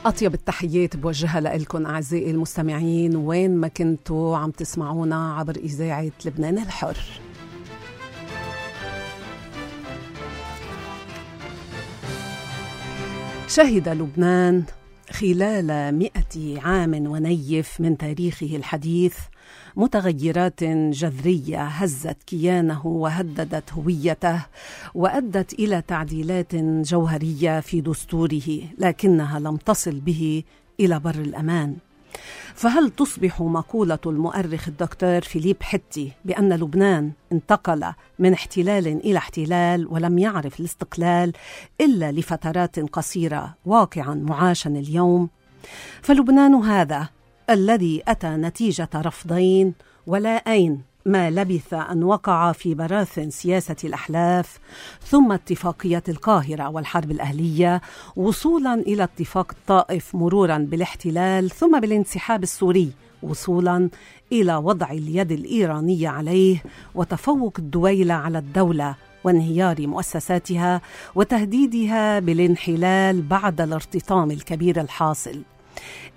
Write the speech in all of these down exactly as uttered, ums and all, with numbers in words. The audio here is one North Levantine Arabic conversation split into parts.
أطيب التحيات بوجهها لإلكم أعزائي المستمعين وين ما كنتوا عم تسمعونا عبر إذاعة لبنان الحر. شهد لبنان خلال مئة عام ونيف من تاريخه الحديث متغيرات جذرية هزت كيانه وهددت هويته وأدت إلى تعديلات جوهرية في دستوره، لكنها لم تصل به إلى بر الأمان. فهل تصبح مقولة المؤرخ الدكتور فيليب حتي بأن لبنان انتقل من احتلال إلى احتلال ولم يعرف الاستقلال إلا لفترات قصيرة واقعا معاشا اليوم؟ فلبنان هذا الذي أتى نتيجة رفضين ولا أين ما لبث أن وقع في براثن سياسة الأحلاف، ثم اتفاقية القاهرة والحرب الأهلية، وصولا إلى اتفاق الطائف، مرورا بالاحتلال ثم بالانسحاب السوري، وصولا إلى وضع اليد الإيرانية عليه وتفوق الدويلة على الدولة وانهيار مؤسساتها وتهديدها بالانحلال بعد الارتطام الكبير الحاصل.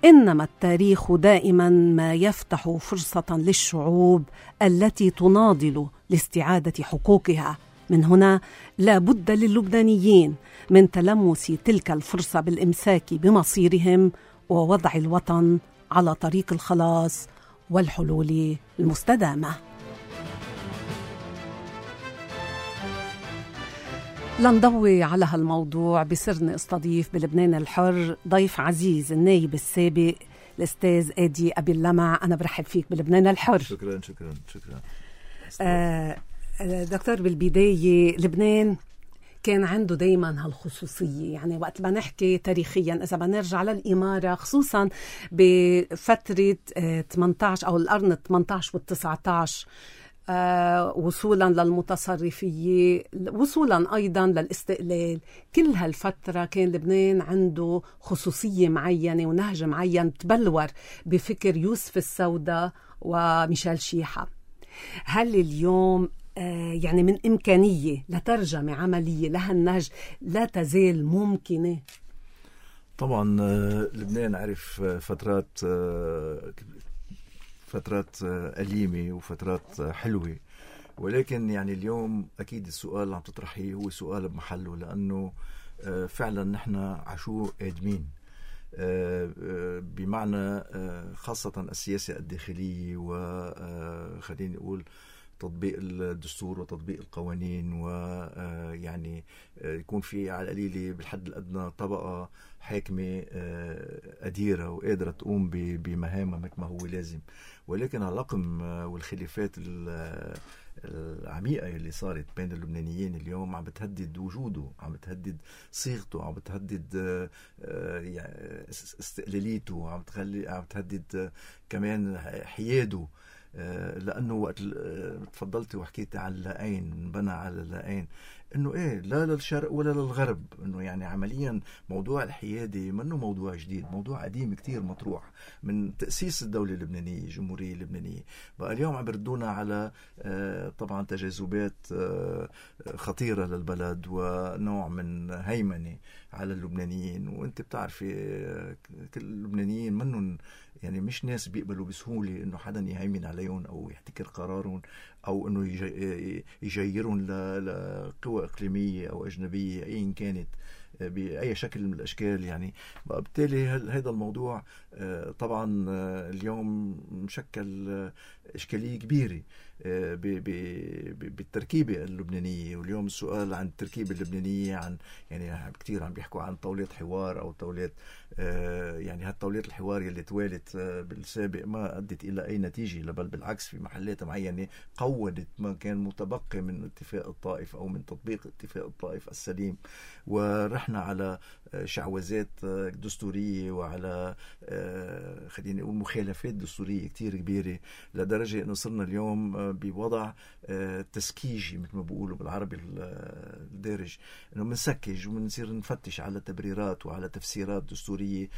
إنما التاريخ دائما ما يفتح فرصة للشعوب التي تناضل لاستعادة حقوقها. من هنا لا بد للبنانيين من تلمس تلك الفرصة بالإمساك بمصيرهم ووضع الوطن على طريق الخلاص والحلول المستدامة. لنضوي على هالموضوع بصرنا استضيف بلبنان الحر ضيف عزيز النايب السابق الأستاذ آدي أبي اللمع. أنا برحب فيك بلبنان الحر. شكرا شكرا شكرا آه دكتور، بالبداية لبنان كان عنده دايما هالخصوصية، يعني وقت ما نحكي تاريخيا إذا بنرجع للإمارة خصوصا بفترة آه ثمانية عشر أو القرن ثمانية عشر والتسعة عشر، آه وصولا للمتصرفية، وصولا أيضا للاستقلال، كل هالفترة كان لبنان عنده خصوصية معينة ونهج معين تبلور بفكر يوسف السوداء وميشيل شيحة. هل اليوم آه يعني من إمكانية لترجمة عملية لهالنهج لا تزال ممكنة؟ طبعا آه لبنان عرف فترات آه فترات أليمة وفترات حلوة، ولكن يعني اليوم أكيد السؤال اللي عم تطرحيه هو سؤال بمحله، لأنه فعلا نحن عشو آدمين بمعنى خاصة السياسة الداخلية وخليني أقول تطبيق الدستور وتطبيق القوانين، ويعني يكون في على القليلة بالحد الأدنى طبقة حاكمة قديرة وقادرة تقوم بمهامها مثل ما هو لازم. ولكن الرقم والخلافات العميقة اللي صارت بين اللبنانيين اليوم عم بتهدد وجوده، عم بتهدد صيغته، عم بتهدد استقلاليته، عم بتهدد كمان حياده، لأنه وقت تفضلت وحكيت على اللاءين، بنى على اللاءين، إنه إيه لا للشرق ولا للغرب، إنه يعني عمليا موضوع الحيادة منه موضوع جديد، موضوع قديم كتير مطروح من تأسيس الدولة اللبنانية، الجمهورية اللبنانية. بقى اليوم عم بردونا على طبعا تجاذبات خطيرة للبلد ونوع من هيمنة على اللبنانيين. وانت بتعرفي كل اللبنانيين منهم يعني مش ناس بيقبلوا بسهولة إنه حدا يهيمن عليهم أو يحتكر قرارهم أو إنه يجيرون لقوى إقليمية أو أجنبية أيا كانت بأي شكل من الأشكال. يعني بالتالي هذا الموضوع طبعا اليوم مشكل إشكالية كبيرة بالتركيبة اللبنانية. واليوم السؤال عن التركيبة اللبنانية عن يعني كتير عم بيحكوا عن طاولة حوار أو طاولة، يعني هالطاولات الحوار اللي توالت بالسابق ما أدت إلى أي نتيجة، بل بالعكس في محلات معينة قودت ما كان متبقي من اتفاق الطائف أو من تطبيق اتفاق الطائف السليم، ورحنا على شعوذات دستورية وعلى خليني أقول مخالفات دستورية كتير كبيرة، لدرجة أنه صرنا اليوم بوضع تسكيجي مثل ما بيقولوا بالعربي الدارج، أنه منسكج ومنصير نفتش على تبريرات وعلى تفسيرات دستورية،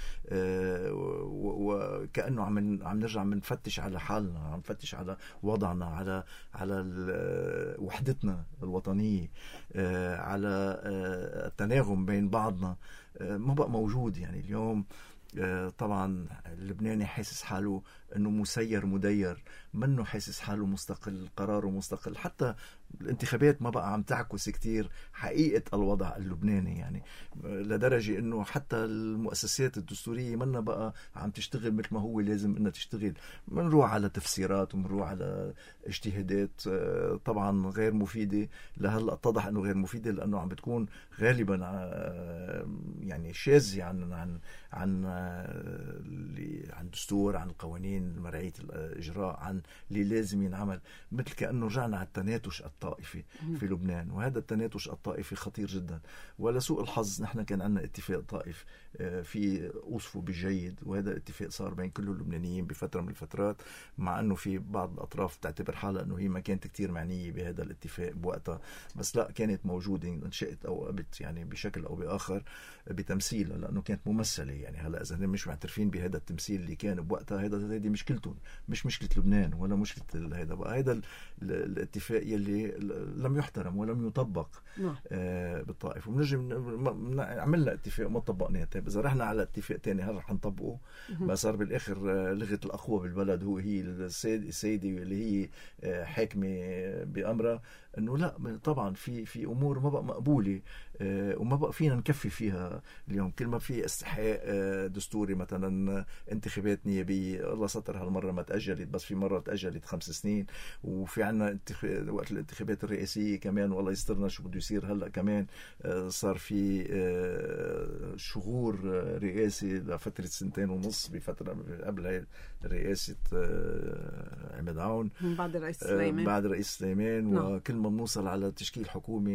وكأنه عم عم نرجع منفتش على حالنا، عم نفتش على وضعنا، على على وحدتنا الوطنية، على التناغم بين بعضنا، ما بقى موجود. يعني اليوم طبعا اللبناني حاسس حاله انه مسير مدير، منه حاسس حاله مستقل، قراره مستقل. حتى الانتخابات ما بقى عم تعكس كتير حقيقة الوضع اللبناني، يعني لدرجة انه حتى المؤسسات الدستورية منا بقى عم تشتغل مثل ما هو لازم انها تشتغل. منروح على تفسيرات ومنروح على اجتهادات طبعا غير مفيدة. لهلا اتضح انه غير مفيدة لانه عم بتكون غالبا يعني شاذة عن عن عن عن دستور، عن القوانين مرعية الإجراء، عن اللي لازم ينعمل. مثل كأنه رجعنا على التناتش الطائفي في لبنان، وهذا التناتش الطائفي خطير جدا. ولسوء الحظ نحن كان عندنا اتفاق طائف في أوصفه بالجيد، وهذا الاتفاق صار بين كل اللبنانيين بفترة من الفترات، مع أنه في بعض الأطراف تعتبر حالها أنه هي ما كانت كتير معنية بهذا الاتفاق بوقتها، بس لا، كانت موجودة انشأت أو أبت يعني بشكل أو بآخر بتمثيل، لأنه كانت ممثلة. يعني هلا إذا هم مش معترفين بهذا التمثيل اللي كان بوقتها، هذا هذه مشكلتهم، مش مشكلة لبنان ولا مشكلة هذا بقى. هذا الاتفاق يلي لم يحترم ولم يطبق آه بالطائف. ونجي عملنا اتفاق ما طبقناه. طيب إذا رحنا على اتفاق تاني هل رح نطبقه؟ ما صار بالآخر لغة الأقوى بالبلد هو هي السيدة اللي هي حاكمة بأمرها، انه لا طبعا في في امور ما بقى مقبوله آه وما بقى فينا نكفي فيها اليوم. كل ما في استحقاق آه دستوري، مثلا انتخابات نيابيه، الله ستر هالمره ما تاجلت، بس في مره تاجلت خمس سنين. وفي عنا انتخ... وقت الانتخابات الرئاسيه كمان والله يسترنا شو بده يصير هلا كمان. آه صار في آه شغور رئاسي لفتره سنتين ونص، بفتره قبل هاي رئاسه آه عماد عون، بعد الرئيس سليمان آه بعد الرئيس سليمان. وكل ما بنوصل على تشكيل حكومة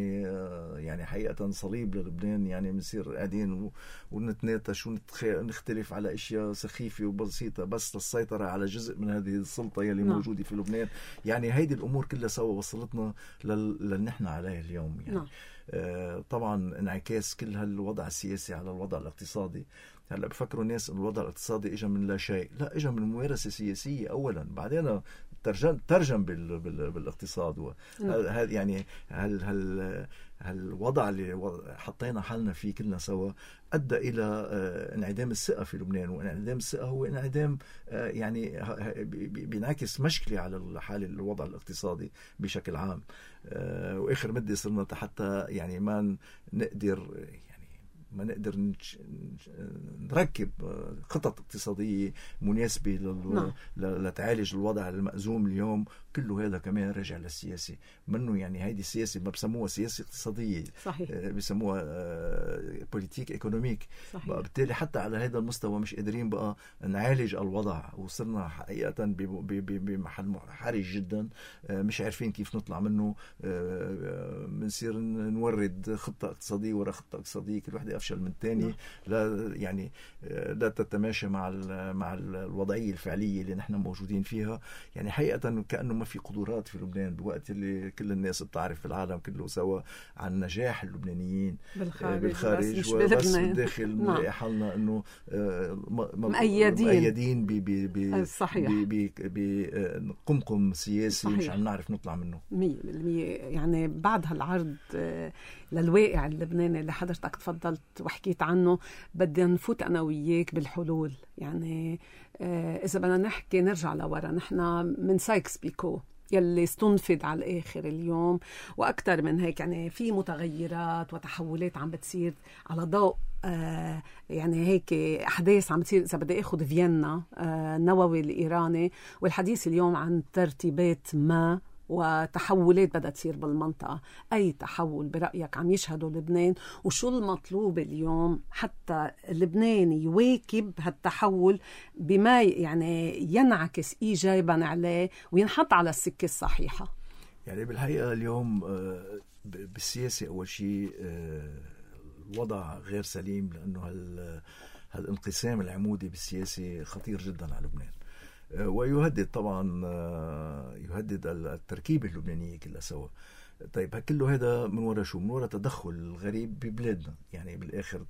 يعني حقيقة صليب للبنان، يعني بنصير قاعدين ونتناقش ونختلف على اشياء سخيفة وبسيطة بس للسيطرة على جزء من هذه السلطة يلي نعم. موجودة في لبنان. يعني هيدي الامور كلها سوا وصلتنا للي نحن عليه اليوم. يعني نعم. آه طبعا انعكاس كل هالوضع السياسي على الوضع الاقتصادي. هلا بفكروا الناس ان الوضع الاقتصادي اجى من لا شيء، لا، اجى من ممارسة سياسية اولا، بعدين ترجم ترجم بال بال بالاقتصاد. هل يعني هل هل هالوضع اللي حطينا حالنا فيه كلنا سوا ادى الى انعدام الثقه في لبنان. وانعدام الثقه هو انعدام يعني بينعكس مشكله على حال الوضع الاقتصادي بشكل عام. واخر مده صرنا حتى يعني ما نقدر ما نقدر نركب خطط اقتصادية مناسبة لل... لتعالج الوضع المأزوم اليوم. كله هذا كمان رجع للسياسة منه. يعني هيدي السياسة ما بسموها سياسة اقتصادية، صحيح. بسموها بوليتيك ايكونوميك. بالتالي حتى على هذا المستوى مش قادرين بقى نعالج الوضع، وصرنا حقيقة بمحل حرج جدا، مش عارفين كيف نطلع منه. بنصير نورد خطة اقتصادية ورا خطة اقتصادية، كل واحدة أفشل من الثاني، لا يعني لا تتماشى مع مع الوضعية الفعلية اللي نحن موجودين فيها. يعني حقيقة كأنه ما في قدرات في لبنان بوقت اللي كل الناس بتعرف في العالم كله سوا عن نجاح اللبنانيين بالخارج, بالخارج بس, وبس بالداخل بنلاقي حالنا انه مؤيدين مؤيدين بقمقم سياسي مش عم نعرف نطلع منه مية بالمية. يعني بعد هالعرض للواقع اللبناني اللي حضرتك تفضلت وحكيت عنه، بدي نفوت أنا وياك بالحلول. يعني إذا بدنا نحكي نرجع لورا، نحن من سايكس بيكو يلي استنفد على الآخر اليوم وأكتر من هيك. يعني في متغيرات وتحولات عم بتصير على ضوء آه يعني هيك أحداث عم تصير. إذا بدي أخذ فيينا آه النووي الإيراني، والحديث اليوم عن ترتيبات ما وتحولات بدها تصير بالمنطقة. أي تحول برأيك عم يشهده لبنان، وشو المطلوب اليوم حتى لبنان يواكب هالتحول بما يعني ينعكس إيجابا عليه وينحط على السكة الصحيحة؟ يعني بالحقيقة اليوم بالسياسة أول شيء الوضع غير سليم، لأنه هالانقسام العمودي بالسياسة خطير جدا على لبنان، ويهدد طبعا يهدد التركيبة اللبنانية كلها سوا. طيب كله هذا من وراء شو؟ من وراء تدخل غريب ببلادنا. يعني بالاخر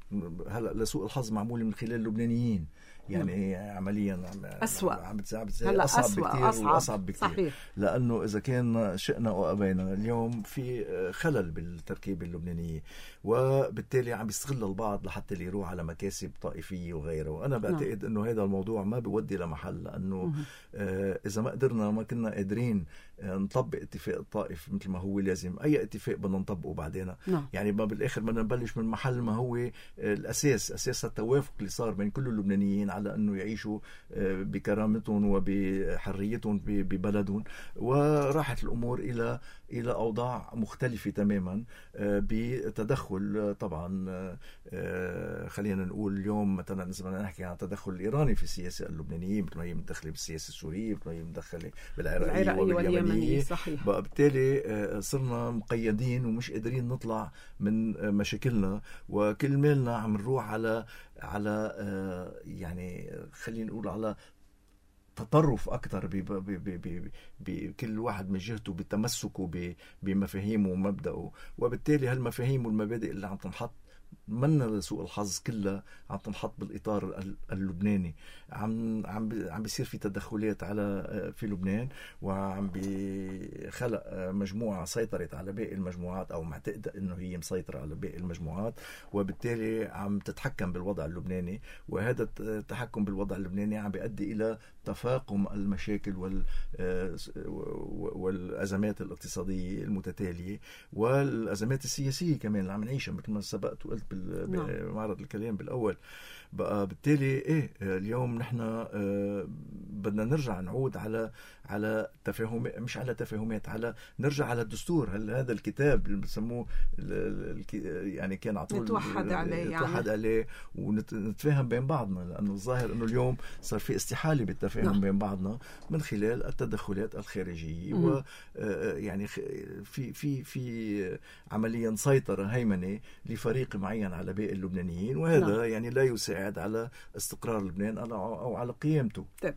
هلا لسوء الحظ معمول من خلال اللبنانيين، يعني م. عمليا أسوأ عم بتصعب أصعب أسوأ بكتير أصعب. وأصعب بكتير. صحيح. لأنه إذا كان شئنا أو أبينا اليوم في خلل بالتركيبة اللبنانية، وبالتالي عم يستغل البعض لحتى اللي يروح على مكاسب طائفية وغيره. وأنا بعتقد أنه هذا الموضوع ما بيودي لمحل، لأنه آه إذا ما قدرنا ما كنا قادرين نطبق اتفاق الطائف مثل ما هو لازم، أي اتفاق بدنا نطبقه بعدين. نعم. يعني ما بالآخر بدنا نبلش من محل ما هو الأساس، أساس التوافق اللي صار بين كل اللبنانيين على أنه يعيشوا بكرامتهم وبحريتهم ببلدهم، وراحت الأمور إلى إلى أوضاع مختلفة تماما بتدخل. طبعا خلينا نقول اليوم مثلا إذا بدنا نحكي عن التدخل الإيراني في السياسة اللبنانية، مثل ما هي متدخلة بالسياسة السورية، مثل ما هي متدخلة بالعراقية واليمنية. بقى بالتالي صرنا مقيدين ومش قادرين نطلع من مشاكلنا، وكل مالنا عم نروح على على يعني خلينا نقول على تطرف أكثر بكل واحد من جهته بتمسكه بمفاهيمه ومبدأه. وبالتالي هالمفاهيم والمبادئ اللي عم تنحط منا لسوء الحظ كلها عم تنحط بالإطار اللبناني. عم عم عم بيصير في تدخلات على في لبنان، وعم بخلق مجموعة سيطرت على باقي المجموعات، أو معتقدة إنه هي مسيطرة على باقي المجموعات، وبالتالي عم تتحكم بالوضع اللبناني. وهذا التحكم بالوضع اللبناني عم بيؤدي إلى تفاقم المشاكل وال والأزمات الاقتصادية المتتالية والأزمات السياسية كمان اللي عم نعيشها مثل ما سبقت وقلت بمعرض الكلام بالأول. بقى بالتالي إيه اليوم نحن آه بدنا نرجع نعود على على تفاهم، مش على تفاهمات، على نرجع على الدستور. هل هذا الكتاب اللي بسموه يعني كان عطول نتوحد عليه نتوحد يعني. عليه ونتفاهم بين بعضنا، لأنه الظاهر أنه اليوم صار في استحالة بالتفاهم نعم. بين بعضنا من خلال التدخلات الخارجية، و يعني في في في عمليا سيطرة هيمنة لفريق معين على باقي اللبنانيين، وهذا نعم. يعني لا يساعد على استقرار لبنان أو على قيامته. طيب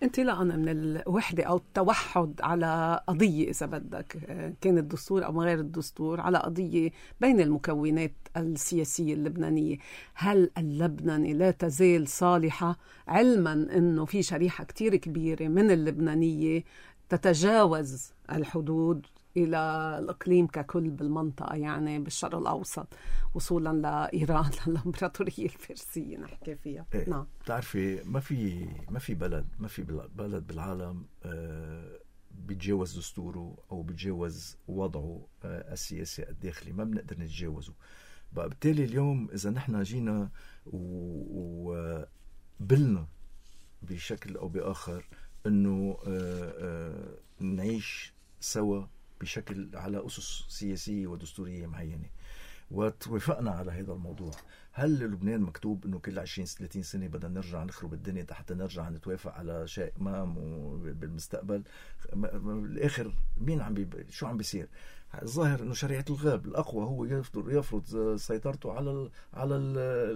انطلاقا من الوحدة أو التوحد على قضية إذا بدك، كان الدستور أو غير الدستور، على قضية بين المكونات السياسية اللبنانية، هل اللبناني لا تزال صالحة، علما أنه في شريحة كتير كبيرة من اللبنانية تتجاوز الحدود إلى الإقليم ككل بالمنطقة، يعني بالشرق الأوسط وصولا لإيران للإمبراطورية الفارسية نحكي فيها. إيه. نعم. تعرفي ما في ما في بلد ما في بلد بالعالم آه بيتجاوز دستوره أو بيتجاوز وضعه آه السياسي الداخلي، ما بنقدر نتجاوزه. بقى بالتالي اليوم إذا نحن جينا وبلنا بشكل أو بآخر إنه آه آه نعيش سوا بشكل على أسس سياسية ودستورية معينة، وتوافقنا على هذا الموضوع، هل لبنان مكتوب انه كل عشرين ثلاثين سنة بدنا نرجع نخرب الدنيا حتى نرجع نتوافق على شيء ما بالمستقبل؟ بالاخر مين عم بي... شو عم بيصير؟ الظاهر انه شريعة الغاب الاقوى هو يفرض يفرض سيطرته على ال... على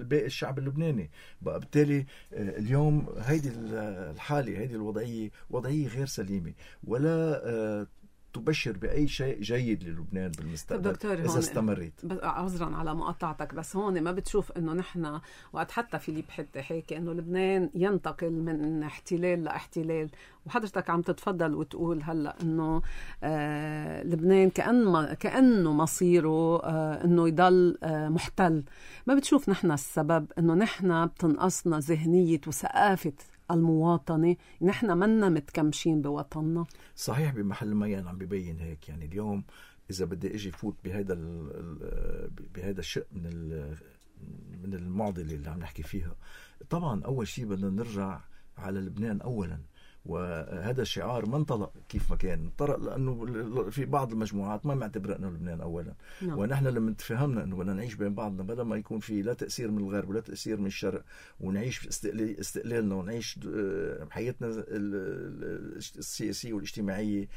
باقي الشعب اللبناني. بقى بالتالي اليوم هيدي الحالة، هيدي الوضعية وضعية غير سليمة، ولا تبشر بأي شيء جيد للبنان بالمستقبل إذا استمرت. عذرا على مقاطعتك، بس هون ما بتشوف إنه نحن وقت حتى فيليب حتى حكي إنه لبنان ينتقل من احتلال لاحتلال، وحضرتك عم تتفضل وتقول هلا إنه آه لبنان كأن كأنه مصيره آه إنه يضل آه محتل. ما بتشوف نحن السبب إنه نحن بتنقصنا ذهنية وثقافة المواطنة، نحن منا متكمشين بوطننا؟ صحيح، بمحل ما يعني عم بيبين هيك. يعني اليوم إذا بدي أجي فوت بهذا بهذا الشيء من من المعضلة اللي عم نحكي فيها، طبعا أول شيء بدنا نرجع على لبنان أولا. وهذا الشعار ما انطلق كيف ما كان، انطلق لأنه في بعض المجموعات ما معتبرة أنه لبنان أولا. نعم. ونحن لما تفهمنا أنه بدنا نعيش بين بعضنا بدل ما يكون في لا تأثير من الغرب ولا تأثير من الشرق، ونعيش استقلالنا ونعيش حياتنا السياسية والاجتماعية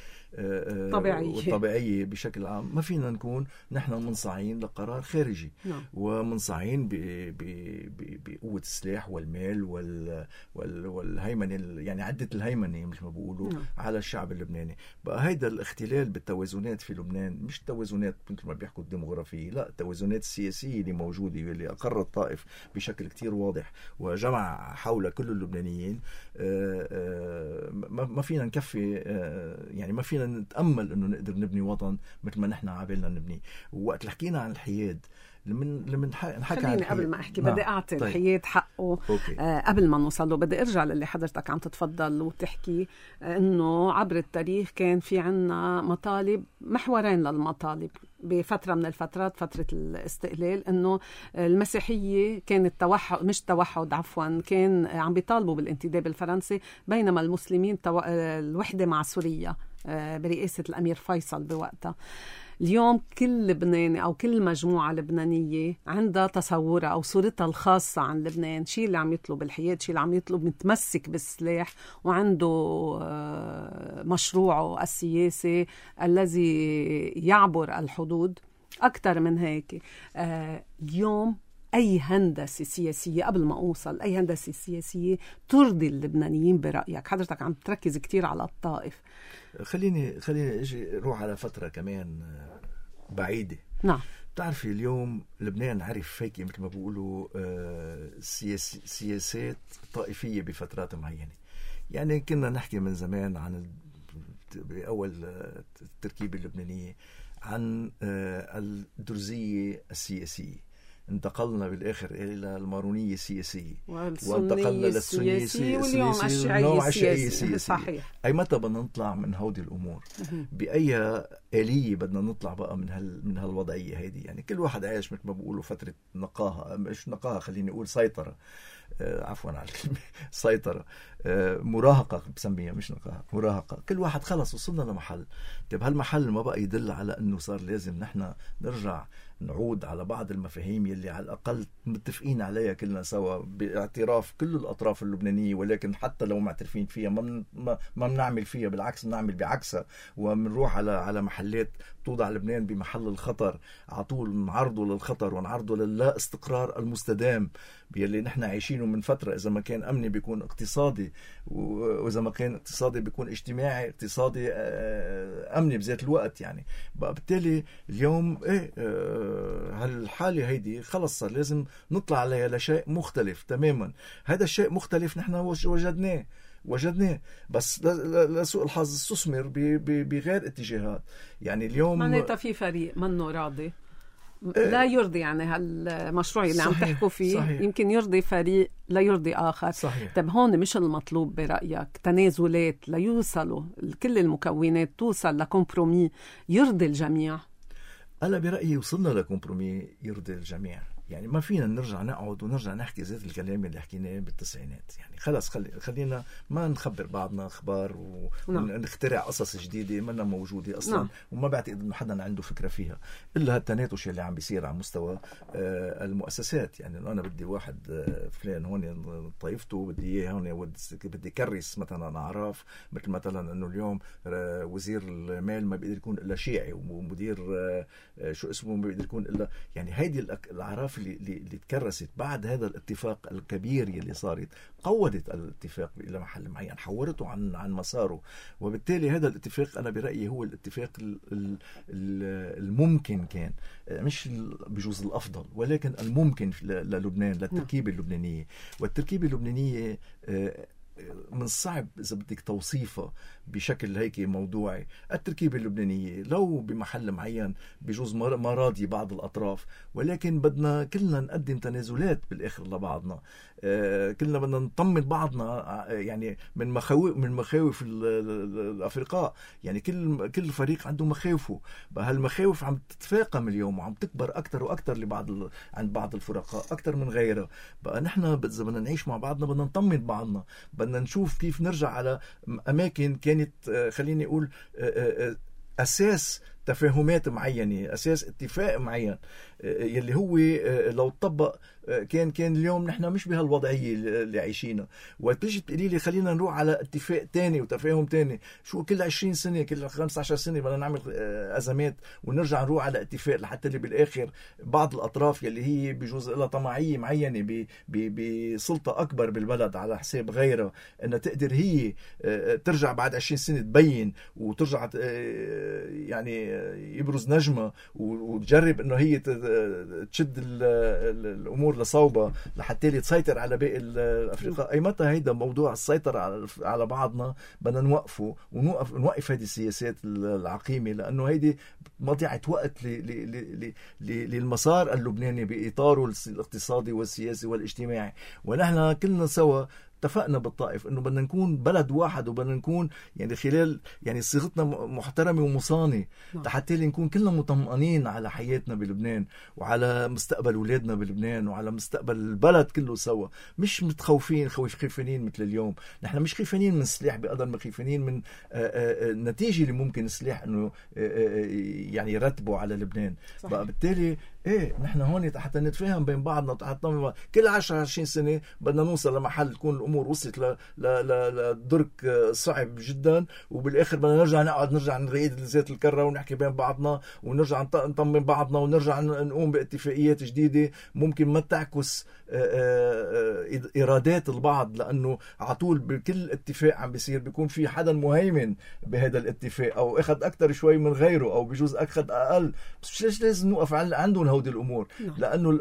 طبيعية طبيعية بشكل عام، ما فينا نكون نحن منصاعين لقرار خارجي نعم. ومنصاعين بقوة السلاح والمال وال وال والهيمنة، يعني عدة الهيمنة مثل ما بيقولوا نعم. على الشعب اللبناني. بقى هيدا الاختلال بالتوازنات في لبنان مش توازنات مثل ما بيحكوا الديموغرافية، لا التوازنات السياسية اللي موجودة واللي أقرت الطائف بشكل كتير واضح وجمع حول كل اللبنانيين. ما فينا نكفي، يعني ما فينا نتأمل انه نقدر نبني وطن مثل ما نحن عابلنا نبني. ووقت اللي حكينا عن الحياد، لمن لمن نحكي خليني قبل ما احكي بدي اعطي طيب. الحياد حقه آه قبل ما نوصل له. بدي ارجع للي حضرتك عم تتفضل وتحكي آه انه عبر التاريخ كان في عنا مطالب، محورين للمطالب بفتره من الفترات، فتره الاستقلال، انه المسيحيه كانت توحد، مش توحد عفوا، كان عم بيطالبوا بالانتداب الفرنسي، بينما المسلمين تو... الوحده مع سوريا آه برئاسه الامير فيصل بوقتها. اليوم كل لبناني أو كل مجموعة لبنانية عندها تصورها أو صورتها الخاصة عن لبنان، شيء اللي عم يطلب الحياد، شيء اللي عم يطلب متمسك بالسلاح وعنده مشروعه السياسي الذي يعبر الحدود. أكثر من هيك اليوم أي هندسة سياسية، قبل ما أوصل أي هندسة سياسية ترضي اللبنانيين برأيك؟ حضرتك عم تركز كتير على الطائف. خليني خليني اجي روح على فتره كمان بعيده. نعم. بتعرفي اليوم لبنان عرف هيك مثل ما بيقولوا سياس سياسات طائفيه بفترات معينه. يعني كنا نحكي من زمان عن باول التركيبه اللبنانيه عن الدرزيه السياسيه، انتقلنا بالآخر إلى المارونية السياسية، وانتقلنا للسنية السياسية، واليوم الشيعية السياسية. صحيح. أي متى بدنا نطلع من هودي الأمور؟ بأي آلية بدنا نطلع بقى من هال من هالوضعية هذه؟ يعني كل واحد عايش مثل ما بقولوا فترة نقاهة، مش نقاهة، خليني أقول سيطرة، آه عفوا على الكلمة، سيطرة، آه مراهقة بسميها، مش نقاهة، مراهقة. كل واحد خلص وصلنا لمحل. طيب هالمحل ما بقى يدل على أنه صار لازم نحن نرجع نعود على بعض المفاهيم يلي على الأقل متفقين عليها كلنا سوا باعتراف كل الأطراف اللبنانية، ولكن حتى لو معترفين فيها ما من ما ما بنعمل فيها، بالعكس بنعمل بعكسها، وبنروح على على محلات توضع لبنان بمحل الخطر، على طول نعرضه للخطر ونعرضه للا استقرار المستدام يلي نحن عايشينه من فترة. إذا ما كان أمني بيكون اقتصادي، وإذا ما كان اقتصادي بيكون اجتماعي، اقتصادي أمني بذات الوقت. يعني بقى بالتالي اليوم إيه هالحالة هيدي خلص صار لازم نطلع عليها لشيء مختلف تماما. هذا الشيء مختلف نحن وجدناه وجدناه بس لسوء الحظ استثمر بغير اتجاهات. يعني اليوم معناتها في فريق منه راضي لا يرضي، يعني هالمشروع اللي صحيح. عم تحكوا فيه صحيح. يمكن يرضي فريق لا يرضي آخر. صحيح. طب هون مش المطلوب برأيك تنازلات ليوصلوا كل المكونات توصل لكمبرومي يرضي الجميع؟ أنا برأيي وصلنا لكمبرومي يرضي الجميع. يعني ما فينا نرجع نقعد ونرجع نحكي ذات الكلام اللي حكيناه بالتسعينات. يعني خلاص خلي خلينا ما نخبر بعضنا أخبار ونخترع قصص جديدة منا موجودة أصلا. نعم. وما بعتقد إنه حدا عنده فكرة فيها إلا هالتناتش اللي عم بيصير على مستوى آه المؤسسات. يعني أنا بدي واحد آه فلان هون طائفته بدي إياه هون، بدي كرس مثلا أعراف، مثل مثلا إنه اليوم آه وزير المال ما بيقدر يكون إلا شيعي، ومدير آه شو اسمه ما بيقدر يكون إلا، يعني هيدي الأعراف اللي, اللي تكرست بعد هذا الاتفاق الكبير اللي صارت، قودت الاتفاق إلى محل معين، حورته عن عن مساره. وبالتالي هذا الاتفاق أنا برأيي هو الاتفاق الممكن، كان مش بجوز الأفضل ولكن الممكن للبنان، للتركيبة اللبنانية. والتركيبة اللبنانية من الصعب إذا بدك توصيفها بشكل هيك موضوعي. التركيبة اللبنانية لو بمحل معين بجوز ما راضي بعض الأطراف، ولكن بدنا كلنا نقدم تنازلات بالآخر لبعضنا. آه كلنا بدنا نطمن بعضنا، يعني من مخاوف من مخاوف الأفرقاء. يعني كل كل فريق عنده مخاوفه، هالمخاوف عم تتفاقم اليوم وعم تكبر أكتر وأكتر لبعض عند بعض الفرقاء أكتر من غيرها. بقى نحن إذا بدنا نعيش مع بعضنا بدنا نطمن بعضنا، بدنا نشوف كيف نرجع على أماكن كانت خليني أقول أساس تفاهمات معينة، أساس اتفاق معين، يلي هو لو طبق كان كان اليوم نحن مش بهالوضعيه اللي عايشينها. وتيجي تقولي لي خلينا نروح على اتفاق تاني وتفاهم تاني، شو كل عشرين سنه كل خمسة عشر سنه بدنا نعمل ازمات ونرجع نروح على اتفاق لحتى اللي بالاخر بعض الاطراف يلي هي بجوز لها طمعيه معينه بسلطه اكبر بالبلد على حساب غيرها انها تقدر هي ترجع بعد عشرين سنه تبين وترجع يعني يبرز نجمه وتجرب انه هي تشد الامور لصوبها لحتى تسيطر على باقي الافرقاء. اي متى هيدا موضوع السيطره على بعضنا بدنا نوقفه ونوقف نوقف هذه السياسات العقيمه، لانه هيدي مضيعه وقت للمسار اللبناني باطاره الاقتصادي والسياسي والاجتماعي. ونحن كلنا سوا اتفقنا بالطائف انه بدنا نكون بلد واحد وبدنا نكون يعني خلال يعني صيغتنا محترمه ومصانه حتى نكون كلنا مطمئنين على حياتنا بلبنان وعلى مستقبل اولادنا بلبنان وعلى مستقبل البلد كله سوا، مش متخوفين خوف خيفانين مثل اليوم. نحن مش خيفانين من السلاح بقدر ما خيفانين من النتيجه اللي ممكن السلاح انه يعني يرتبه على لبنان. بقى بالتالي ايه نحن هون حتى نتفاهم بين بعضنا وحتى كل عشرة عشرين سنه بدنا نوصل لمحل تكون الامور وصلت ل لدرك صعب جدا، وبالاخر بدنا نرجع نقعد نرجع نريد زيت الكره ونحكي بين بعضنا ونرجع نطمن بعضنا ونرجع نقوم باتفاقيات جديده ممكن ما تعكس إرادات البعض، لأنه عطول بكل اتفاق عم بيصير بيكون في حدا مهيمن بهذا الاتفاق أو أخذ أكتر شوي من غيره أو بجوز أخذ أقل. بس ليش لازم نوقف عندهم هودي الأمور؟ لأنه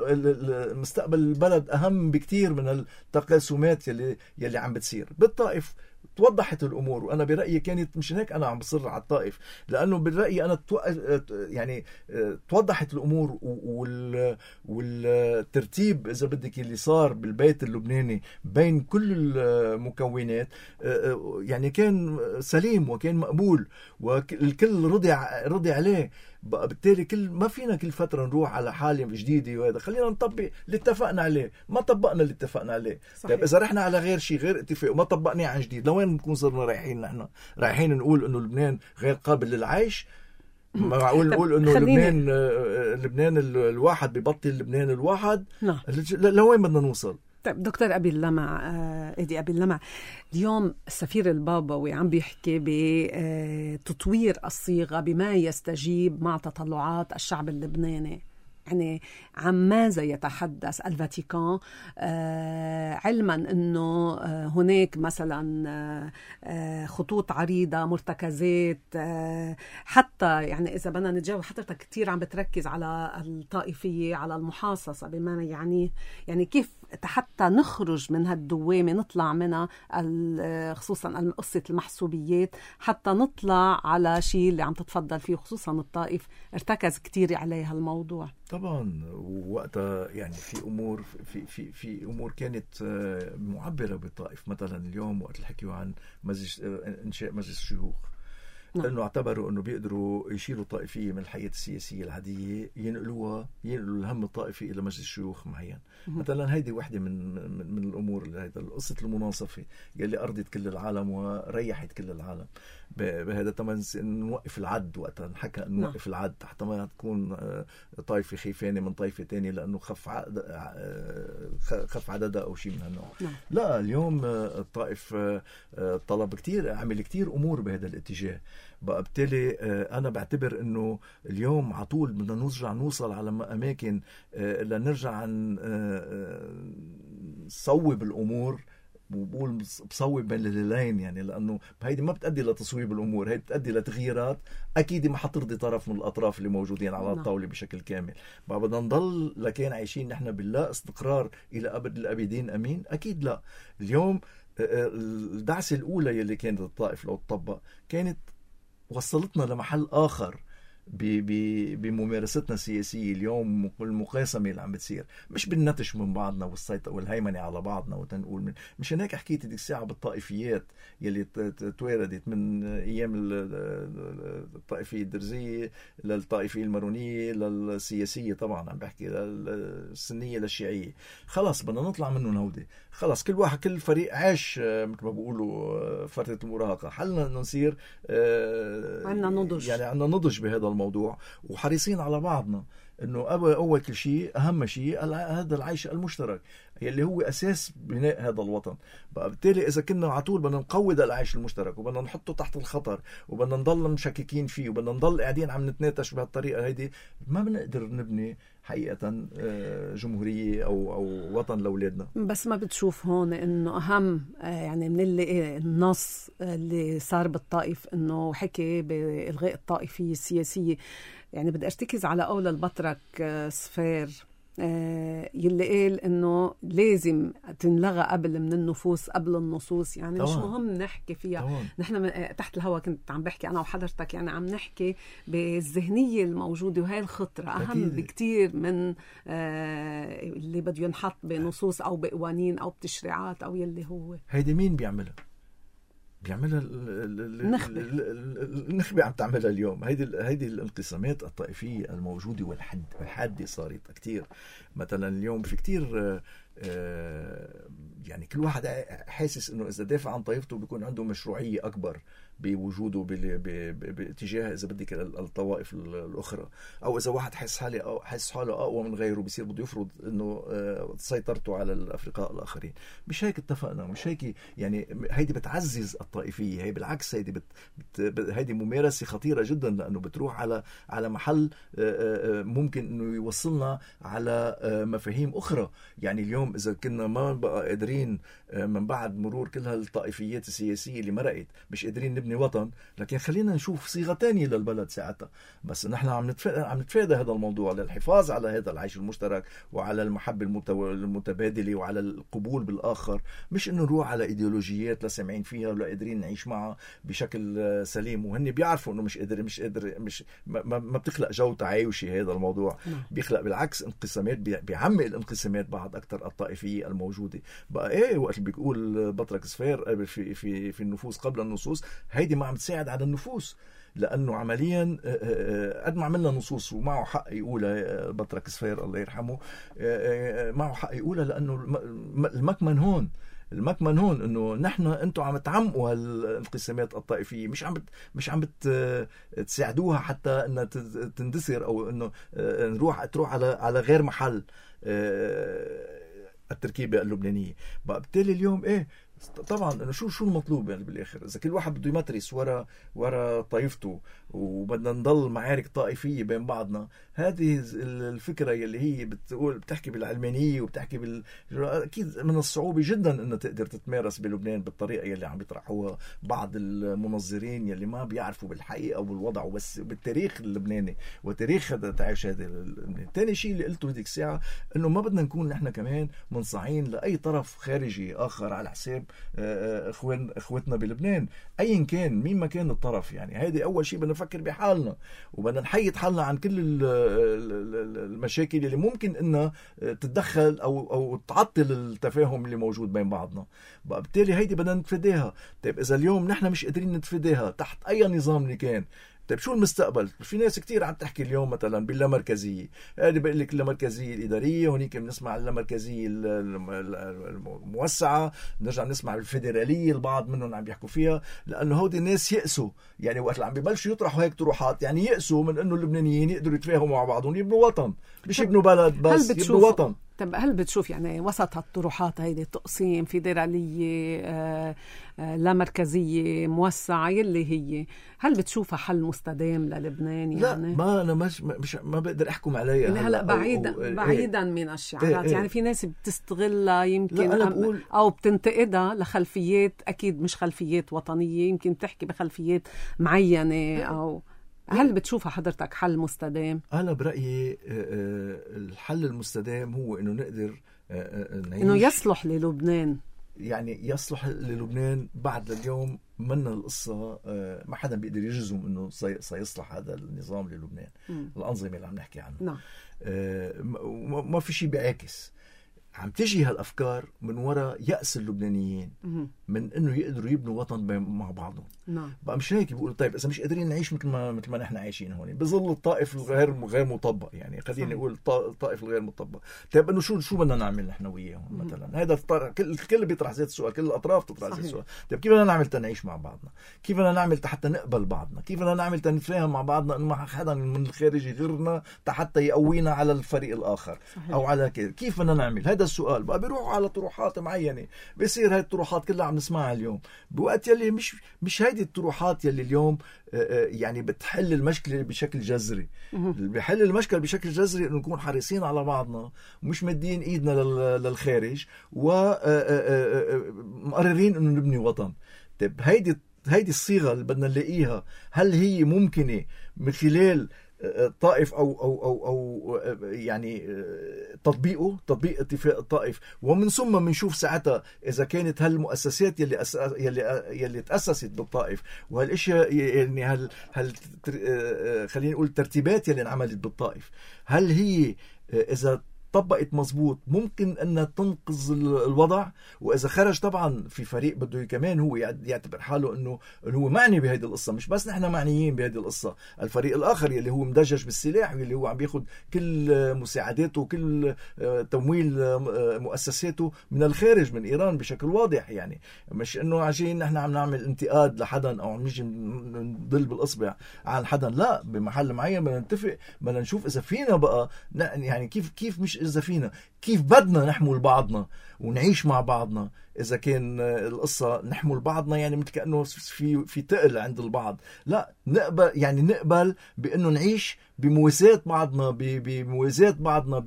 مستقبل البلد أهم بكتير من التقاسمات يلي, يلي عم بتصير. بالطائف توضحت الامور، وانا برايي كانت مش هيك انا عم بصر على الطائف، لانه برايي انا تو... يعني توضحت الامور وال... والترتيب اذا بدك اللي صار بالبيت اللبناني بين كل المكونات يعني كان سليم وكان مقبول والكل رضي رضي عليه. بالتالي كل ما فينا كل فتره نروح على حاله جديده وهذا، خلينا نطبق اللي اتفقنا عليه. ما طبقنا اللي اتفقنا عليه، طيب اذا رحنا على غير شيء غير اتفاق وما طبقناه عن جديد لوين بنكون صرنا رايحين؟ نحن رايحين نقول انه لبنان غير قابل للعيش؟ ما معقول نقول انه لبنان لبنان الواحد ببطل لبنان الواحد؟ لوين بدنا نوصل؟ طيب دكتور أبي اللمع، إيدي أبي اللمع، اليوم السفير البابوي عم بيحكي بتطوير الصيغة بما يستجيب مع تطلعات الشعب اللبناني. يعني عن ماذا يتحدث الفاتيكان علما أنه هناك مثلا خطوط عريضة مرتكزات، حتى يعني إذا بدنا نتجاوب حضرتك كتير عم بتركز على الطائفية على المحاصصة بما يعني يعني كيف حتى نخرج من هالدوامة نطلع منها، خصوصا قصة المحسوبيات، حتى نطلع على شيء اللي عم تتفضل فيه خصوصا الطائف ارتكز كتير عليها الموضوع. طبعا وقتها يعني في امور في في في امور كانت معبره بالطائف. مثلا اليوم وقت الحكيوا عن مجلس انشاء مجلس الشيوخ، لأنه اعتبروا أنه بيقدروا يشيلوا الطائفية من الحياة السياسية العادية ينقلوها ينقلوا الهم الطائفي إلى مجلس الشيوخ معين. مثلا هيدي واحدة من من الأمور اللي هيدا قصة المناصفة يلي أرضت كل العالم وريحت كل العالم. بهذا تمن نوقف العد، وقتها نحكى أن نوقف العد حتى ما تكون طائفة خيفانة من طائفة تانية لأنه خف عدد خف عددها أو شيء من هالنوع. لا اليوم الطائف طلب كتير، عمل كتير أمور بهذا الاتجاه. بقى بالتالي أنا بعتبر أنه اليوم عطول بدنا نرجع نوصل على أماكن لنرجع نصوب الأمور، وبقول بصوب بين الليلين يعني، لأنه هيدي ما بتأدي لتصويب الأمور، هيدي بتأدي لتغييرات أكيد ما حترضي طرف من الأطراف اللي موجودين على الطاولة بشكل كامل. بقى بدنا نضل لكن عايشين نحن بالله استقرار إلى أبد الأبدين أمين؟ أكيد لا. اليوم الدعسة الأولى يلي كانت الطائف لو تطبق كانت وصلتنا لمحل آخر بممارستنا السياسية اليوم والمقاسمة اللي عم بتصير، مش بالنتش من بعضنا والسيطرة والهيمنة على بعضنا وتنقول من مش هناك. حكيت ديك الساعة بالطائفيات يلي تواردت من أيام الطائفية الدرزية للطائفية المارونية للسياسية، طبعا عم بحكي للسنية للشيعية. خلاص بدنا نطلع منهم هودي، خلاص كل واحد كل فريق عاش مثل ما بيقولوا فترة المراهقة. حلنا إنه نصير عنا نضج، يعني عنا نضج بهذا الموضوع وحريصين على بعضنا. انه اول كل شيء اهم شيء هذا العيش المشترك يلي هو اساس بناء هذا الوطن. بقى بالتالي اذا كنا على طول بدنا نقوض العيش المشترك وبدنا نحطه تحت الخطر وبدنا نضل مشككين فيه وبدنا نضل قاعدين عم نتناتش بهالطريقه هيدي، ما بنقدر نبني حقيقة جمهورية أو أو وطن لأولادنا. بس ما بتشوف هون إنه أهم يعني من اللي النص اللي صار بالطائف إنه حكي بإلغاء الطائفية السياسية، يعني بدي أرتكز على قول البطرك صفير يلي قال إنه لازم تنلغى قبل من النفوس قبل النصوص، يعني مش مهم نحكي فيها طبعا. نحن تحت الهوا كنت عم بحكي أنا وحضرتك، يعني عم نحكي بالذهنية الموجودة، وهي الخطرة أهم أكيد. بكتير من اللي بده ينحط بنصوص أو بقوانين أو بتشريعات أو يلي هو. هيدي مين بيعملها؟ بيعملها النخبة النخبة عم تعملها اليوم. هيدي هيدي الانقسامات الطائفية الموجودة والحد والحادة صارت كتير. مثلا اليوم في كتير يعني كل واحد حاسس انه اذا دافع عن طائفته بيكون عنده مشروعية اكبر بوجوده باتجاه اذا بدك الطوائف الاخرى، او اذا واحد حس حاله او حس حاله اقوى من غيره بيصير بده يفرض انه سيطرته على الافرقاء الاخرين. مش هيك اتفقنا، مش هيك. يعني هيدي بتعزز الطائفيه، هي بالعكس هيدي بت بت هيدي ممارسه خطيره جدا، لانه بتروح على على محل ممكن انه يوصلنا على مفاهيم اخرى. يعني اليوم اذا كنا ما بقى قادرين من بعد مرور كل هالطائفيات السياسيه اللي مرقت مش قادرين نبني وطن، لكن خلينا نشوف صيغه تانية للبلد ساعتها. بس نحن عم نتفادى عم نتفادى هذا الموضوع للحفاظ على هذا العيش المشترك وعلى المحبه المتبادله وعلى القبول بالاخر، مش انه نروح على ايديولوجيات لا سامعين فيها ولا قادرين نعيش معها بشكل سليم، وهن بيعرفوا انه مش قادر مش قادر مش ما, ما بتخلق جو تعايشي. هذا الموضوع بيخلق بالعكس انقسامات، بيعمق الانقسامات بعد اكثر الطائفيه الموجوده. بقى ايه وقت بيقول بطرك صفير في في في النفوس قبل النصوص، هيدي ما عم تساعد على النفوس، لأنه عمليا قد ما عملنا نصوص ومعه حق يقولها بطرك صفير الله يرحمه، معه حق يقولها، لأنه المكمن هون المكمن هون انه نحن انتم عم تعمقوا هالانقسامات الطائفيه، مش عم بت مش عم بتساعدوها حتى انها تندثر او انه نروح تروح على على غير محل التركيبه اللبنانيه. بقى بالتالي اليوم ايه طبعا انه شو شو المطلوب يعني بالاخر؟ اذا كل واحد بده يمترس ورا ورا طائفته وبدنا نضل معارك طائفيه بين بعضنا، هذه الفكره اللي هي بتقول بتحكي بالعلمانيه وبتحكي بال اكيد من الصعوبه جدا انها تقدر تتمارس بلبنان بالطريقه اللي عم بيطرحوها بعض المنظرين يلي ما بيعرفوا بالحقيقه وبالوضع وبس بالتاريخ اللبناني وتاريخ هذا تعيش هذا. ثاني شيء اللي قلته هذيك الساعه انه ما بدنا نكون نحن كمان منصاعين لاي طرف خارجي اخر على حساب اخوان اخوتنا بلبنان ايا كان مين ما كان الطرف. يعني هيدي اول شيء بدنا نفكر بحالنا وبدنا نحيد حالنا عن كل المشاكل اللي ممكن انها تتدخل او او تعطل التفاهم اللي موجود بين بعضنا. بقى بالتالي هيدي بدنا نتفاداها. طيب اذا اليوم نحن مش قادرين نتفاداها تحت اي نظام اللي كان، طيب شو المستقبل؟ في ناس كتير عم تحكي اليوم مثلا باللامركزيه، هذه بقول لك اللامركزيه الاداريه، هونيك بنسمع اللامركزيه الموسعه، بنرجع نسمع الفيدراليه، البعض منهم عم بيحكوا فيها، لانه هودي الناس يأسوا. يعني وقت عم ببلشوا يطرحوا هيك طروحات يعني يأسوا من انه اللبنانيين يقدروا يتفاهموا مع بعضهم يبنوا وطن، مش يبنوا بلد بس يبنوا وطن. طب هل بتشوف يعني وسط هالطروحات هيدي تقسيم فيدرالية آه آه لا مركزية موسعة يلي هي، هل بتشوفها حل مستدام للبنان؟ يعني لا ما أنا مش, مش ما بقدر أحكم عليها هلا, هلأ بعيدا أو أو بعيدا إيه من الشعارات إيه. يعني في ناس بتستغلها يمكن بقول... أو بتنتقدها لخلفيات أكيد مش خلفيات وطنية، يمكن تحكي بخلفيات معينة أو هل بتشوفها حضرتك حل مستدام؟ أنا برأيي الحل المستدام هو إنه نقدر نعيش، إنه يصلح للبنان، يعني يصلح للبنان بعد اليوم. منا القصة ما حدا بيقدر يجزم إنه سيصلح هذا النظام للبنان، م. الأنظمة اللي عم نحكي عنها نعم. ما في شيء بيعاكس، عم تجي هالأفكار من وراء يأس اللبنانيين، من انه يقدروا يبنوا وطن مع بعضهم. نعم. بقى مش هيك بيقولوا طيب اذا مش قادرين نعيش مثل ما مثل ما نحن عايشين هون بظل الطائف الغير غير مطبق، يعني خلينا نقول الطائف الغير مطبق. طيب انه شو شو بدنا نعمل نحن وياهم مثلا؟ هذا كل الكل بيطرح هذا السؤال، كل الاطراف تطرح هذا السؤال. طيب كيف بدنا نعمل تنعيش مع بعضنا؟ كيف بدنا نعمل حتى نقبل بعضنا؟ كيف بدنا نعمل تنتفاهم مع بعضنا انه ما حدا من الخارج يغيرنا حتى يقوينا على الفريق الاخر؟ صحيح. او على كيف كيف بدنا نعمل هذا السؤال؟ بقى بيروحوا على طروحات معينه، بيصير هاي الطروحات كلها عم نسمعها اليوم بوقت يلي مش مش هيدي الطروحات يلي اليوم يعني بتحل المشكله بشكل جذري. اللي بيحل المشكله بشكل جذري انه نكون حريصين على بعضنا ومش مدين ايدنا للخارج ومقررين انه نبني وطن. طيب هيدي هيدي الصيغه اللي بدنا نلاقيها، هل هي ممكنه من خلال طائف أو, أو, أو, أو يعني تطبيقه تطبيق اتفاق الطائف، ومن ثم بنشوف ساعتها إذا كانت هالمؤسسات يلي أس... يلي يلي تأسست بالطائف وهالاشياء يعني هل هل خلينا نقول الترتيبات يلي انعملت بالطائف، هل هي إذا طبقت مزبوط ممكن أن تنقذ الوضع؟ وإذا خرج طبعا في فريق بده كمان هو يعتبر حاله أنه هو معني بهذه القصة، مش بس نحن معنيين بهذه القصة، الفريق الآخر يلي هو مدجج بالسلاح واللي هو عم بياخد كل مساعداته وكل تمويل مؤسساته من الخارج من إيران بشكل واضح. يعني مش أنه عشان نحن عم نعمل انتقاد لحدا أو عم نيجي نضل بالإصبع عن حدا، لا، بمحل معين بدنا نتفق، بدنا نشوف إذا فينا بقى يعني كيف كيف مش إذا فينا كيف بدنا نحمل بعضنا ونعيش مع بعضنا. إذا كان القصة نحمل بعضنا يعني مثل كأنه في في تقل عند البعض، لا، نقبل يعني نقبل بأنه نعيش بمواساة بعضنا، بموازاة بعضنا،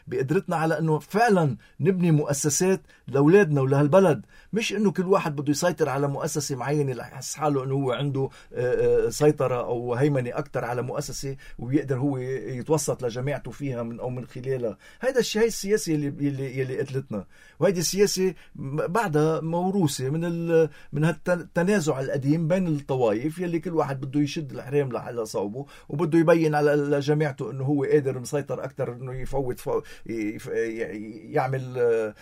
بقدرتنا على أنه فعلا نبني مؤسسات لأولادنا ولهالبلد، مش أنه كل واحد بده يسيطر على مؤسسة معينة ليحس حاله أنه هو عنده سيطرة أو هيمنة أكتر على مؤسسة ويقدر هو يتوسط لجماعته فيها من أو من خلالها. هذا الشيء السياسي اللي يلي يلي قتلتنا، وهذه السياسة بعدها موروثة من ال من هالتنازع القديم بين الطوائف يلي كل واحد بده يشد الحرام على صوبه وبده يبين على لجماعته انه هو قادر مسيطر اكثر، انه يفوت فو يعمل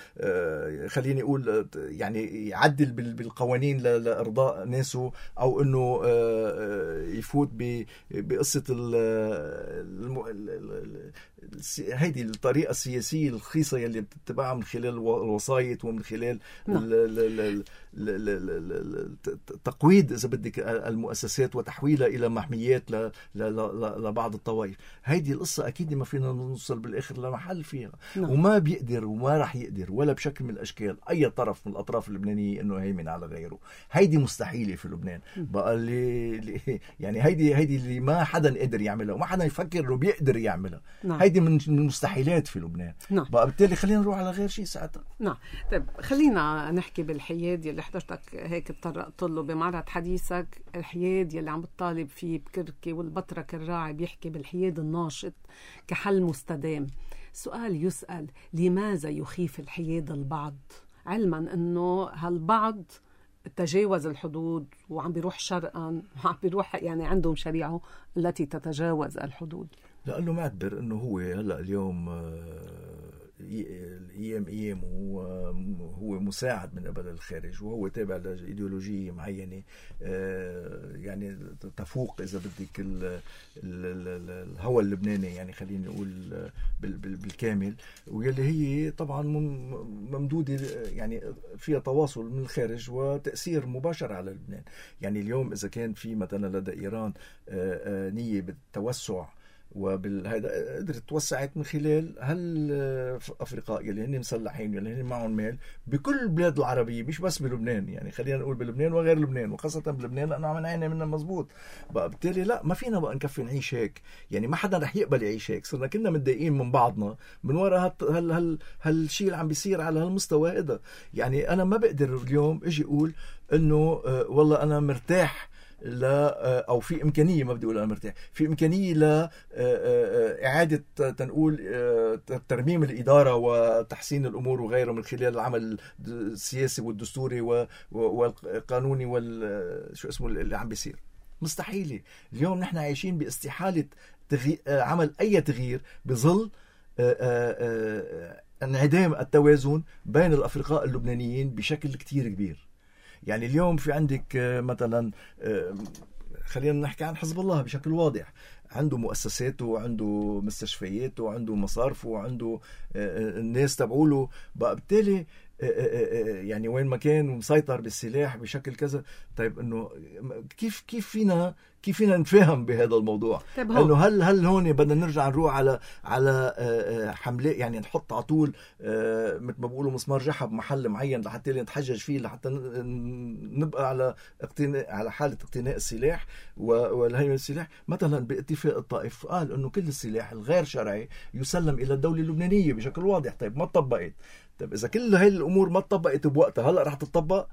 خليني اقول يعني يعدل بالقوانين لارضاء ناسه، او انه يفوت بقصه هيدي الطريقه السياسيه الرخيصه يلي بتتبعها من خلال الوسايط ومن خلال تقويض اذا بدك المؤسسات وتحويلها الى محميات لبعض الطوائف. هيدي القصه اكيد ما فينا نوصل بالاخر لمحل فيها. نعم. وما بيقدر وما راح يقدر ولا بشكل من الاشكال اي طرف من الاطراف اللبنانيه انه يهيمن على غيره. هيدي مستحيله في لبنان. بقى اللي يعني هيدي هيدي اللي ما حدا قادر يعملها وما حدا يفكر انه بيقدر يعملها. نعم. هيدي من المستحيلات في لبنان. نعم. بقى بالتالي خلينا نروح على غير شيء ساعتها. نعم. طيب خلينا نحكي بالحياد اللي حضرتك هيك تطرقت له بمعرض حديثك، الحياد يلي عم بتطالب فيه بكركي والبطرك الراعي بيحكي بالحياد الناشط كحل مستدام. سؤال يسأل: لماذا يخيف الحياد البعض، علما انه هالبعض تجاوز الحدود وعم بيروح شرقا وعم بيروح يعني عندهم شريعه التي تتجاوز الحدود؟ لأنه معتبر انه هو هلا اليوم ايام ايام هو هو مساعد من قبل الخارج وهو تابع لايديولوجيه معينه يعني تفوق اذا بدك الهوى اللبناني، يعني خلينا نقول بالكامل، واللي هي طبعا ممدوده يعني فيها تواصل من الخارج وتاثير مباشر على لبنان. يعني اليوم اذا كان في مثلا لدى ايران نيه بالتوسع وبالهذا قدرت توسعت من خلال هالافرقاء يلي هن مسلحين يلي هن معهم مال بكل البلاد العربيه، مش بس بلبنان، يعني خلينا نقول بلبنان وغير لبنان، وخاصه بلبنان لانه عم نعاني منها مزبوط. بقى بالتالي لا، ما فينا بقى نكفي نعيش هيك، يعني ما حدا رح يقبل يعيش هيك. صرنا كنا متضايقين من بعضنا من وراء هال هال هالشيء اللي عم بيصير على هالمستوى هذا. يعني انا ما بقدر اليوم اجي اقول انه آه والله انا مرتاح لا، أو في إمكانية، ما بدي أقول أنا مرتاح، في إمكانية لإعادة تنقول ترميم الإدارة وتحسين الأمور وغيره من خلال العمل السياسي والدستوري والقانوني والشو اسمه اللي عم بيصير. مستحيلة. اليوم نحن عايشين باستحالة تغي... عمل أي تغيير بظل انعدام التوازن بين الأفرقاء اللبنانيين بشكل كتير كبير. يعني اليوم في عندك مثلا خلينا نحكي عن حزب الله بشكل واضح، عنده مؤسساته وعنده مستشفياته وعنده مصارفه وعنده الناس تبعوله بقى، بالتالي يعني وين ما كان مسيطر بالسلاح بشكل كذا. طيب انه كيف كيف فينا كيف فينا نتفاهم بهذا الموضوع؟ طيب انه هل هل هون بدنا نرجع نروح على على حملات، يعني نحط على طول مثل ما بيقولوا مسمار جحا بمحل معين لحتى نتحجج فيه لحتى نبقى على اقتناء على حاله اقتناء السلاح والهيمنه السلاح؟ مثلا باتفاق الطائف قال انه كل السلاح الغير شرعي يسلم الى الدوله اللبنانيه بشكل واضح. طيب ما طبقت. طيب إذا كل هاي الأمور ما تطبقت بوقتها هلأ رح تطبق؟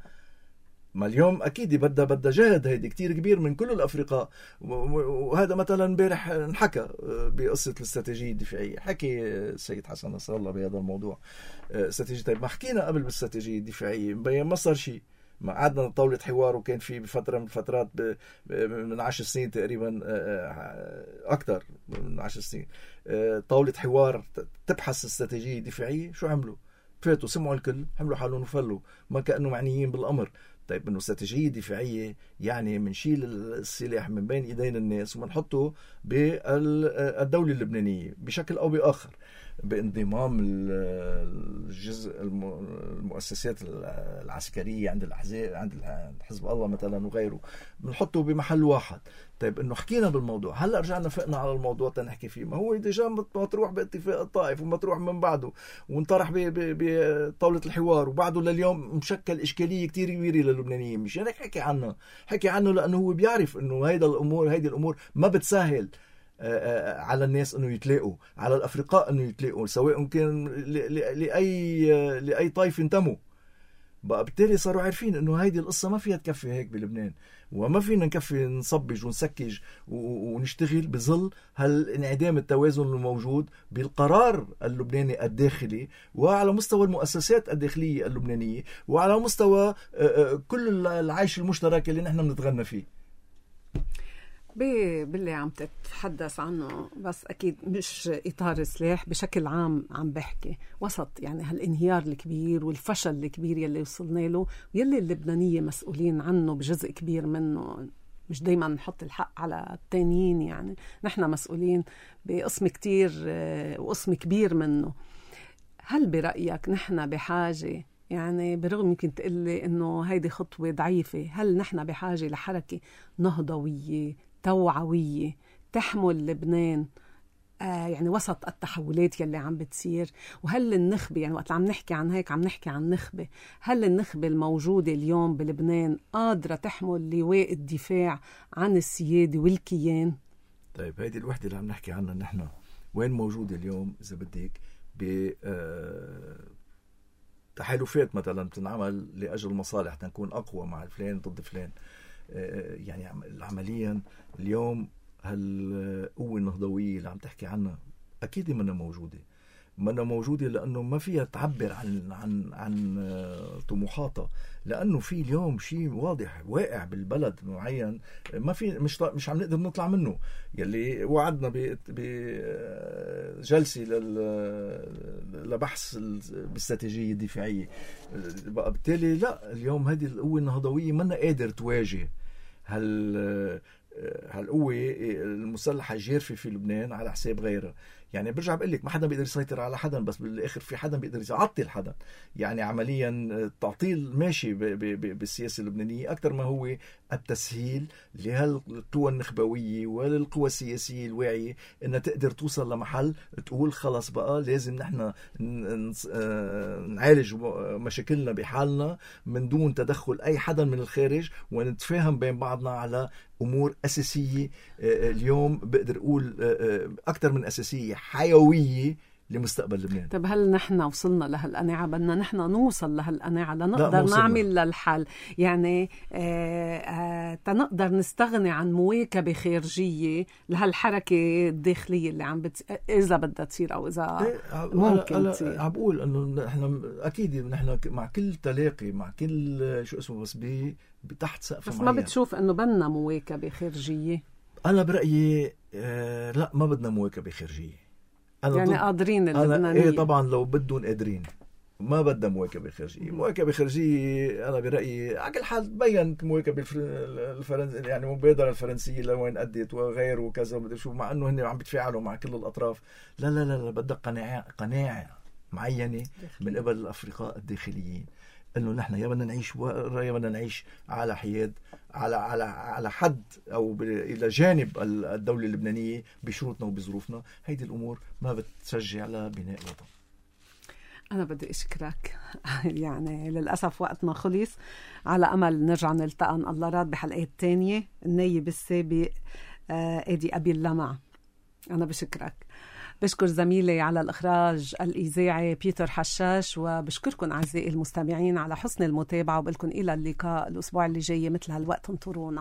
ما اليوم أكيد بدها بدها جهد هيدي كتير كبير من كل الأفرقاء. وهذا مثلا امبارح انحكى بقصة الاستراتيجية الدفاعية، حكي السيد حسن نصر الله بهذا الموضوع استراتيجية. طيب ما حكينا قبل بالاستراتيجية الدفاعية مبين ما صار شيء، ما قعدنا طاولة حوار وكان في بفترة من الفترات من عشر سنين تقريبا أكثر من عشر سنين طاولة حوار تبحث استراتيجية دفاعية. شو عملوا؟ فاتوا سمعوا الكل، حملوا حالهم وفلوا، ما كأنه معنيين بالأمر. طيب انه استراتيجية دفاعية يعني منشيل السلاح من بين ايدين الناس ومنحطه بالدولة اللبنانية بشكل او باخر، بانضمام الجزء المؤسسات العسكرية عند الأحزاب عند حزب الله مثلا وغيره، بنحطه بمحل واحد. طيب انه حكينا بالموضوع، هلا رجعنا فقنا على الموضوع تنحكي فيه، ما هو ديجا مطروح باتفاق الطائف ومطروح من بعده وانطرح بطاولة الحوار وبعده لليوم مشكل إشكالية كتير كبيرة للبنانيين. مش هيك حكي عنه، حكي عنه لأنه هو بيعرف انه هيدا الأمور هيدي الأمور ما بتسهل على الناس انه يتلاقوا، على الافرقاء انه يتلاقوا، سواء كان لاي لاي طائفه انتموا. بقى بالتالي صاروا عارفين انه هيدي القصه ما فيها تكفي هيك بلبنان، وما فينا نكفي نصبج ونسكج ونشتغل بظل هالانعدام التوازن الموجود بالقرار اللبناني الداخلي وعلى مستوى المؤسسات الداخليه اللبنانيه وعلى مستوى كل العيش المشترك اللي نحن بنتغنى فيه. باللي عم تتحدث عنه، بس أكيد مش إطار السلاح بشكل عام عم بحكي وسط يعني هالانهيار الكبير والفشل الكبير يلي وصلنا له يلي اللبنانية مسؤولين عنه بجزء كبير منه. مش دايما نحط الحق على التانيين، يعني نحن مسؤولين بقسم كتير وقسم كبير منه. هل برأيك نحن بحاجة، يعني برغم يمكن تقلي إنه هيدي خطوة ضعيفة، هل نحن بحاجة لحركة نهضوية توعوية تحمل لبنان آه يعني وسط التحولات يلي عم بتصير؟ وهل النخبة، يعني وقت عم نحكي عن هيك عم نحكي عن نخبة، هل النخبة الموجودة اليوم بلبنان قادرة تحمل لواء الدفاع عن السيادة والكيان؟ طيب هيدي الوحدة اللي عم نحكي عنها نحن وين موجودة اليوم؟ إذا بدك ب آه تحالفات مثلا بتنعمل لأجل مصالح تنكون أقوى مع الفلان ضد فلان. يعني عمليا اليوم هالقوة النهضوية اللي عم تحكي عنها أكيد منا موجودة، منا موجودة لأنه ما فيها تعبر عن عن عن طموحاتها، لأنه في اليوم شيء واضح واقع بالبلد معين ما في مش مش عم نقدر نطلع منه، يلي وعدنا بجلسة لبحث الاستراتيجية الدفاعية. بقى بالتالي لا، اليوم هذه القوة النهضوية منا قادر تواجه هال هالقوة المسلحة الجارفة في لبنان على حساب غيرها. يعني برجع بقول لك ما حدا بيقدر يسيطر على حدا، بس بالاخر في حدا بيقدر يعطل حدا. يعني عمليا التعطيل ماشي بالسياسة اللبنانية أكثر ما هو التسهيل لهالقوى النخبوية وللقوى السياسية الواعية إنها تقدر توصل لمحل تقول خلص بقى لازم نحن نعالج مشاكلنا بحالنا من دون تدخل أي حدا من الخارج، ونتفاهم بين بعضنا على أمور أساسية. اليوم بقدر أقول أكثر من أساسية، حيوية لمستقبل لبنان. طب هل نحن وصلنا لهالقناعة؟ بدنا نحن نوصل لهالقناعة لنقدر نعمل للحل، يعني آه آه تنقدر نستغني عن مواكبة خارجية لهالحركة الداخلية اللي عم بت... إذا بدها تصير أو إذا إيه ممكن تصير. عم بقول إنه نحن أكيد نحن مع كل تلاقي مع كل شو اسمه بس بي تحت سقف بس معين. ما بتشوف إنه بدنا مواكبة خارجية؟ أنا برأيي آه لا، ما بدنا مواكبة خارجية. أنا يعني قادرين اللبنانيين. إيه طبعا لو بدهم قادرين، ما بدها مواكبة خارجية. مواكبة خارجية أنا برأيي على كل حال بيّنت مواكبة الفرنسية يعني مبادرة الفرنسية لوين أدت وغيره وكذا ومدري شو، مع أنه هن عم بيتفاعلوا مع كل الأطراف. لا لا لا, لا بدها قناعة قناعة معينة من قبل الأفرقاء الداخليين إنه نحن يا بدنا نعيش يا بدنا نعيش على حياد على على على حد أو إلى جانب الدولة اللبنانية بشروطنا وبظروفنا. هيدي الأمور ما بتشجع على بناء وطن. أنا بدي أشكرك يعني للأسف وقتنا خلص، على أمل نرجع نلتقى إن الله راد بحلقات تانية. النايب السابق آدي أبي اللمع. أنا بشكرك، بشكر زميلي على الإخراج الإذاعي بيتر حشاش، وبشكركم أعزائي المستمعين على حسن المتابعة، وبقلكم إلى اللقاء الأسبوع اللي جاي مثل هالوقت. انطرونا.